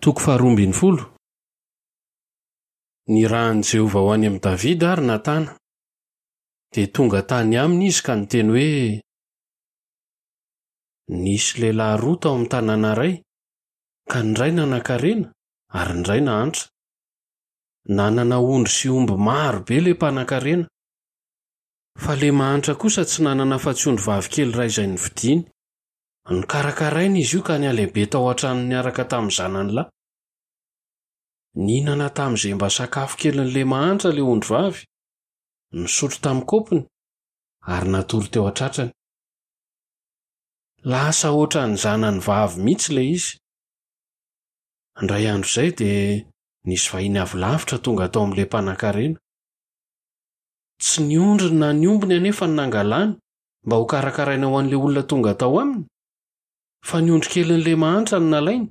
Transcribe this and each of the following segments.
Toko faharoa ambin'ny folo. Nirahin'i Jehovah ho any amin'i Davida àry Natana. Dia tonga tany aminy izy ka niteny hoe, Nisy lehilahy roa tao amin'ny tanàna iray, ka ny iray nanankarena ary ny iray nahantra. Nanana ondry sy omby maro be ilay mpanankarena. Fa ilay mahantra kosa tsy nanana afa-tsy ondrivavy kely iray izay novidiany. Nokarakarainy izy io ka nihalehibe tao an-tranony niaraka tamin'ny zanany lahy. Nihinana tamin'izay mba sakafo kelin'ilay mahantra ilay ondrivavy, nisotro tamin'ny kaopiny, ary natory teo an-tratrany. Lasa hoatran'ny zanany vavy mihitsy ilay izy. Indray andro izay dia nisy vahiny avy lavitra tonga tao amin'ilay mpanankarena. Tsy ny ondriny na ny ombiny anefa no nangalany mba hokarakaraina ho an'ilay olona tonga tao aminy, fa ny ondry kelin'ilay mahantra no nalainy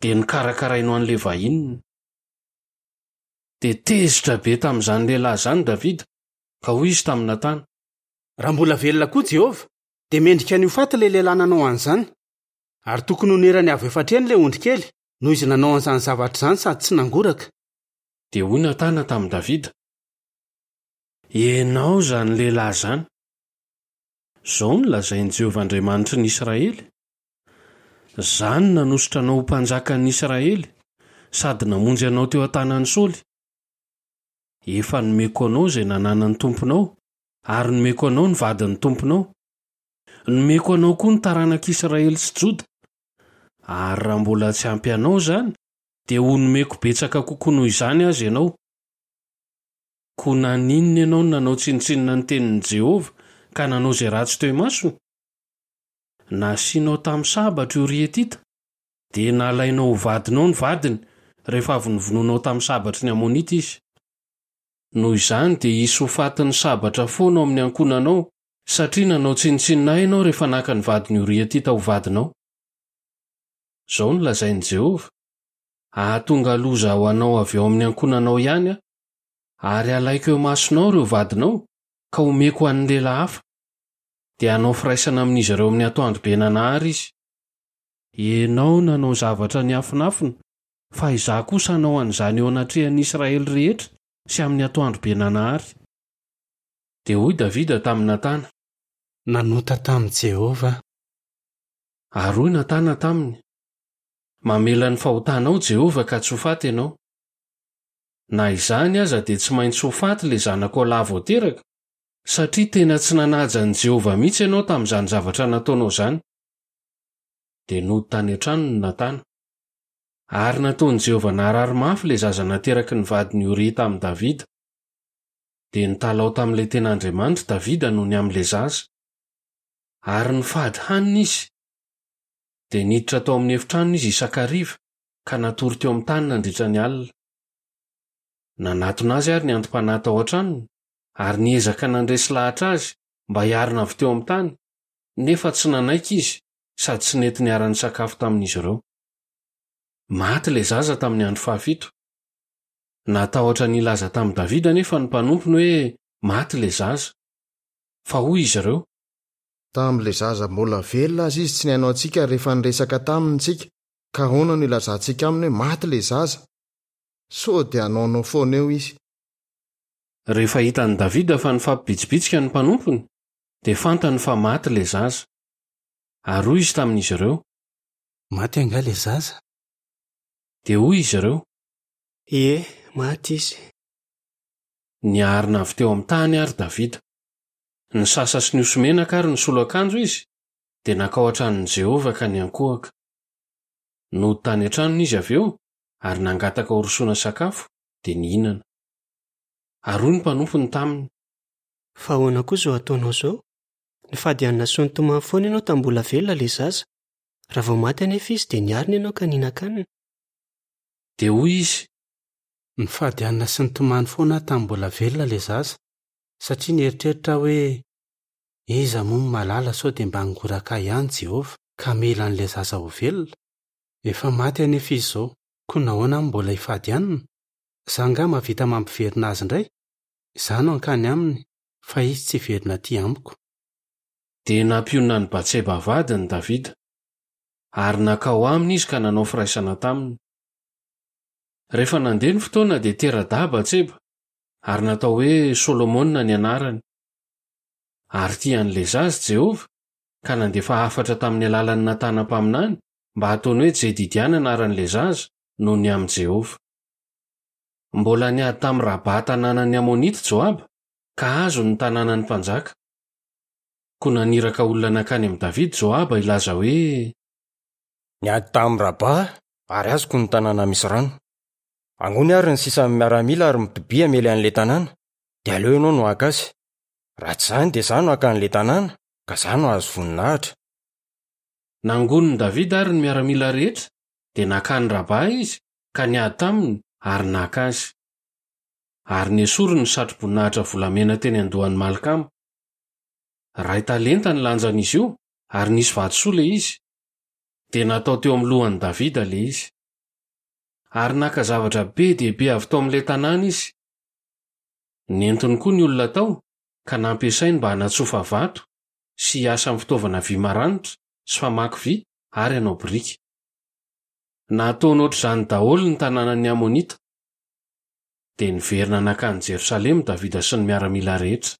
dia nokarakarainy ho an'ilay vahininy. Dia tezitra be tamin'izany lehilahy izany Davida, ka hoy izy tamin'i Natana. Raha mbola velona koa Jehovah, dia mendrika ny ho faty ilay lehilahy nanao an'izany. Ary tokony honerany avo efatra heny ilay ondrikely, noho izy nanao an'izany zavatra izany sady tsy nangoraka. Dia hoy Natana tamin'i Davida, Ianao izany lehilahy izany! Izao no lazain'i Jehovah Andriamanitry ny Israely, 'Izaho no nanosotra anao ho mpanjakan'ny Israely, sady namonjy anao teo an-tanan'i Saoly. Efa nomeko anao izay nananan'ny tomponao, ary nomeko anao ny vadin'ny tomponao. Nomeko anao koa ny taranak'Israely sy Joda. Ary raha mbola tsy ampy anao izany, dia ho nomeko betsaka kokoa noho izany aza ianao. Koa naninona ianao no nanao tsinontsinona ny tenin'i Jehovah ka nanao izay ratsy teo imasony? Nasianao tamin'ny sabatra i Oria Hetita, dia nalainao ho vadinao ny vadiny rehefa avy novonoinao tamin'ny sabatry ny Amonita izy. Noho izany dia hisy ho fatin'ny sabatra foana ao amin'ny ankohonanao, satria nanao tsinontsinona ahy ianao rehefa naka ny vadin'i Oria Hetita ho vadinao. Izao no lazain'i Jehovah, Hahatonga loza ho anao avy ao amin'ny ankohonanao ihany aho, ary halaiko eo imasonao ireo vadinao, ka homeko ho an'ny lehilahy hafa. Dia hanao firaisana amin'izy ireo amin'ny atoandrobe nanahary izy. Ianao nanao zavatra niafinafina, fa izaho kosa hanao an'izany eo anatrehan'ny Israely rehetra sy amin'ny atoandrobe nanahary. Dia hoy Davida tamin'i Natana. Nanota tamin'i Jehovah aho. Ary hoy Natana taminy, Mamela ny fahotanao Jehovah ka tsy ho faty ianao. Na izany aza dia tsy maintsy ho faty ilay zanakao lahy vao teraka, satria tena tsy nanaja an'i Jehovah mihitsy ianao tamin'izany zavatra nataonao izany. Dia nody tany an-tranony Natana. Ary nataon'i Jehovah narary mafy ilay zaza nateraky ny vadin'i Oria tamin'i Davida. Dia nitalaho tamin'ilay tena Andriamanitra Davida noho ny amin'ilay zaza. Ary nifady hanina izy. Dia niditra tao amin'ny efitranony izy isan-kariva, ka natory teo amin'ny tany nandritra ny alina. Nanatona azy àry ny anti-panahy tao an-tranony, ary niezaka nandresy lahatra azy mba hiarina avy teo amin'ny tany, nefa tsy nanaiky izy sady tsy nety niara-nisakafo tamin'izy ireo. Maty ilay zaza tamin'ny andro fahafito. Natahotra ny hilaza tamin'i Davida anefa ny mpanompony hoe maty ilay zaza. Fa hoy izy ireo. Tamin'ilay zaza mbola velona aza izy tsy nihaino antsika rehefa niresaka taminy isika, ka ahoana no ilazantsika aminy hoe maty ilay zaza? Sao dia hanaonao foana eo izy. Rehefa hitan'i Davida fa nifampibitsibitsika ny mpanompony, dia fantany fa maty ilay zaza. Ary hoy izy tamin'izy ireo. Maty angaha ilay zaza? Dia hoy izy ireo. Ie, maty izy. Niarina avy teo amin'ny tany àry Davida. Nisasa sy nihoso-menaka ary nisolo akanjo izy, dia nankao an-tranon'i Jehovah ka niankohoka. Nody tany an-tranony izy avy eo, ary nangataka horosoana sakafo, dia nihinana. Ary hoy ny mpanompony taminy. Fa ahoana koa izao ataonao izao? Nifady hanina sy nitomany foana ianao tamin'ny mbola velona ilay zaza. Raha vao maty anefa izy, dia niarina ianao ka nihinan-kanina. Dia hoy izy. Nifady hanina sy nitomany foana aho tamin'ny mbola velona ilay zaza, satria nieritreritra aho hoe, 'Iza moa no mahalala sao dia mba hangoraka ahy ihany Jehovah, ka hamela an'ilay zaza ho velona? Efa maty anefa izy izao, koa nahoana aho no mbola hifady hanina? Izaho angaha mahavita mampiverina azy indray? Izaho no hankany aminy, fa izy tsy hiverina atỳ amiko. Dia nampionona an'i Batseba vadiny Davida. Ary nankao aminy izy ka nanao firaisana taminy. Rehefa nandeha ny fotoana dia tera-dahy Batseba, ary natao hoe Solomona ny anarany. Ary tia an'ilay zaza Jehovah, ka nandefa hafatra tamin'ny alalan'i Natana mpaminany mba hataony hoe Jedidia ny anaran'ilay zaza, noho ny amin'i Jehovah. Mbola niady tamin'i Rabà tanànan'ny Amonita Joaba, ka azony ny tanànan'ny mpanjaka. Koa naniraka olona nankany amin'i Davida Joaba hilaza hoe. Niady tamin'i Rabà ary azoko ny tanàna misy rano. Angony àry ny sisan'ny miaramila ary mitobia hamely an'ilay tanàna, dia aleo ianao no haka azy. Raha tsy izany dia izaho no haka an'ilay tanàna, ka izaho no hahazo voninahitra. Nangonin'i Davida àry ny miaramila rehetra, dia nankany Rabà izy ka niady taminy ary naka azy. Ary nesoriny ny satroboninahitra volamena teny an-dohan'i Malkama. Iray talenta ny lanjan'izy io, ary nisy vatosoa ilay izy. Dia natao teo amin'ny lohan'i Davida ilay izy. Ary naka zavatra be dia be avy tao amin'ilay tanàna izy. Nentiny koa ny olona tao, ka nampiasainy mba hanatsofa vato sy hiasa amin'ny fitaovana vy maranitra sy famaky vy ary hanao biriky. Nataony hoatr'izany daholo ny tanànan'ny Amonita. Dia niverina nankany Jerosalema Davida sy ny miaramila rehetra.